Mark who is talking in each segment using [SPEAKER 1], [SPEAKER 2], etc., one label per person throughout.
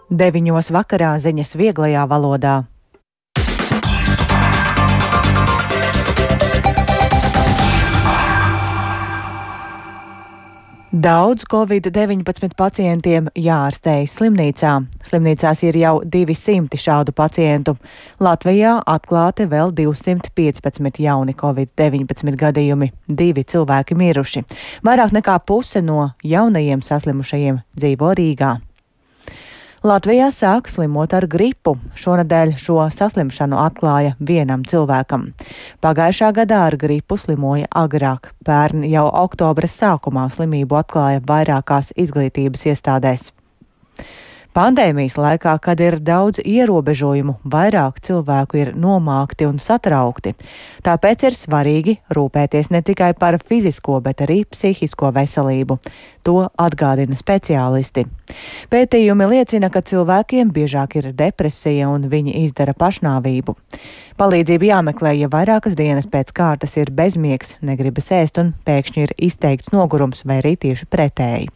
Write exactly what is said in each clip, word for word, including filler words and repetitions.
[SPEAKER 1] Deviņos vakarā ziņas vieglajā valodā. Daudz covid deviņpadsmit pacientiem jāārstējas slimnīcā. Slimnīcās ir jau divi simti šādu pacientu. Latvijā atklāti vēl divsimt piecpadsmit jauni covid deviņpadsmit gadījumi. Divi cilvēki miruši. Vairāk nekā puse no jaunajiem saslimušajiem dzīvo Rīgā. Latvijā sāk slimot ar gripu. Šonadēļ šo saslimšanu atklāja vienam cilvēkam. Pagājušā gadā ar gripu slimoja agrāk. Pērn jau oktobra sākumā slimību atklāja vairākās izglītības iestādēs. Pandēmijas laikā, kad ir daudz ierobežojumu, vairāk cilvēku ir nomākti un satraukti. Tāpēc ir svarīgi rūpēties ne tikai par fizisko, bet arī psihisko veselību. To atgādina speciālisti. Pētījumi liecina, ka cilvēkiem biežāk ir depresija un viņi izdara pašnāvību. Palīdzību jāmeklē, ja vairākas dienas pēc kārtas ir bezmiegs, negribas ēst un pēkšņi ir izteikts nogurums vai arī tieši pretēji.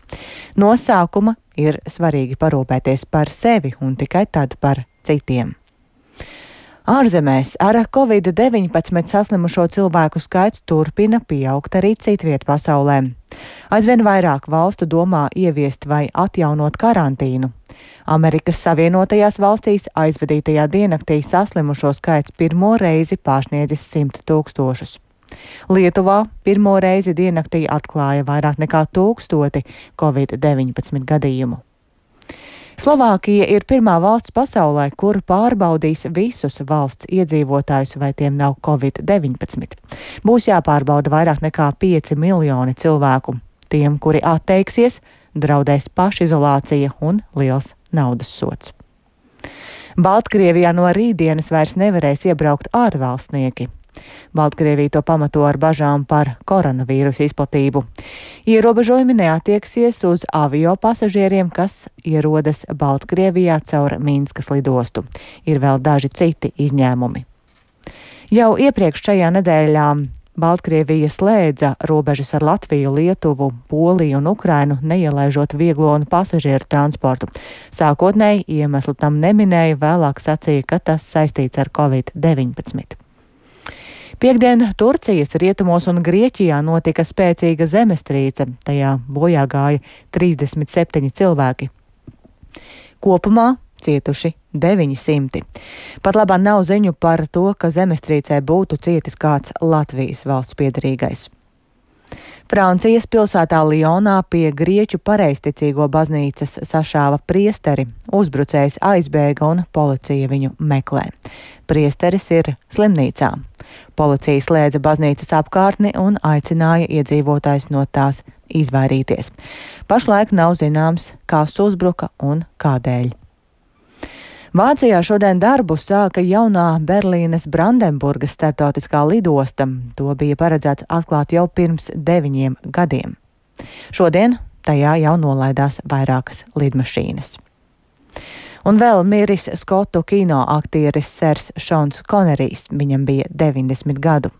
[SPEAKER 1] No sākuma ir svarīgi parūpēties par sevi un tikai tad par citiem. Ārzemēs ar covid deviņpadsmit saslimušo cilvēku skaits turpina pieaugt arī citviet pasaulē. Aizvien vairāk valstu domā ieviest vai atjaunot karantīnu. Amerikas Savienotajās valstīs aizvadītajā diennaktī saslimušo skaits pirmo reizi pārsniedzis simt tūkstošus. Lietuvā pirmo reizi diennaktī atklāja vairāk nekā tūkstoti covid deviņpadsmit gadījumu. Slovākija ir pirmā valsts pasaulē, kur pārbaudīs visus valsts iedzīvotājus, vai tiem nav covid deviņpadsmit. Būs jāpārbauda vairāk nekā pieci miljoni cilvēku. Tiem, kuri atteiksies, draudēs pašizolācija un liels naudas sods. Baltkrievijā no rītdienas vairs nevarēs iebraukt ārvalstnieki. Baltkrievija to pamato ar bažām par koronavīrusu izplatību. Ierobežojumi neatieksies uz avio pasažieriem, kas ierodas Baltkrievijā caur Minskas lidostu. Ir vēl daži citi izņēmumi. Jau iepriekš šajā nedēļā Baltkrievija slēdza robežas ar Latviju, Lietuvu, Poliju un Ukrainu, neielaižot vieglo un pasažieru transportu. Sākotnēji iemeslu tam neminēja, vēlāk sacīja, ka tas saistīts ar covid deviņpadsmit. Piektdien Turcijas rietumos un Grieķijā notika spēcīga zemestrīce. Tajā bojā gāja trīsdesmit septiņi cilvēki. Kopumā cietuši deviņi simti. Pat labāk nav ziņu par to, ka zemestrīcē būtu cietis kāds Latvijas valsts piederīgais. Francijas pilsētā Lionā pie grieķu pareizticīgo baznīcas sašāva priesteri. Uzbrucējs aizbēga un policija viņu meklē. Priesteris ir slimnīcā. Policija slēdza baznīcas apkārtni un aicināja iedzīvotājus no tās izvairīties. Pašlaik nav zināms, kas uzbruka un kādēļ. Vācijā šodien darbu sāka jaunā Berlīnes Brandenburgas starptautiskā lidosta. To bija paredzēts atklāt jau pirms deviņiem gadiem. Šodien tajā jau nolaidās vairākas lidmašīnas. Un vēl miris skotu kino aktieris Sers Šons Konerijs. Viņam bija deviņdesmit gadu.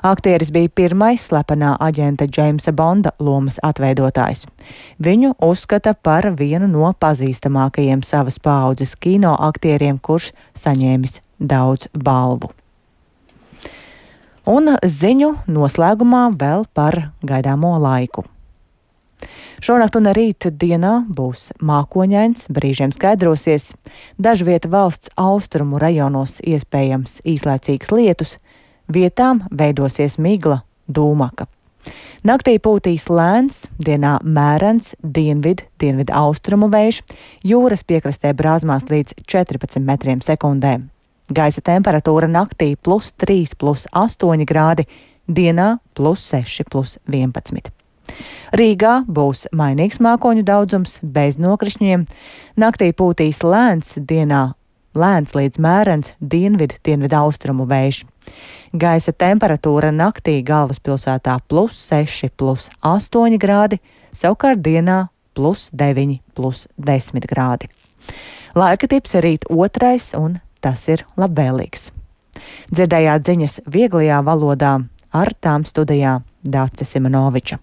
[SPEAKER 1] Aktieris bija pirmais slepenā aģenta Džeimsa Bonda lomas atveidotājs. Viņu uzskata par vienu no pazīstamākajiem savas paaudzes kino aktieriem, kurš saņēmis daudz balvu. Un ziņu noslēgumā vēl par gaidāmo laiku. Šonakt un rīt dienā būs mākoņains, brīžiem skaidrosies. Dažviet valsts austrumu rajonos iespējams īslaicīgs lietus, vietām veidosies migla, dūmaka. Naktī pūtīs lēns, dienā mērens, dienvid, dienvid austrumu vējš, jūras piekrastē brāzmās līdz četrpadsmit metriem sekundē. Gaisa temperatūra naktī plus trīs, plus astoņi grādi, dienā plus seši, plus vienpadsmit. Rīgā būs mainīgs mākoņu daudzums, bez nokrišņiem. Naktī pūtīs lēns, dienā lēns līdz mērens, dienvid, dienvid austrumu vējš. Gaisa temperatūra naktī galvaspilsētā plus seši, plus astoņi grādi, savukārt dienā plus deviņi, plus desmit grādi. Laika tips rīt otrais, un tas ir labvēlīgs. Dzirdējāt ziņas vieglajā valodā, ar tām studijā Dāce Simonoviča.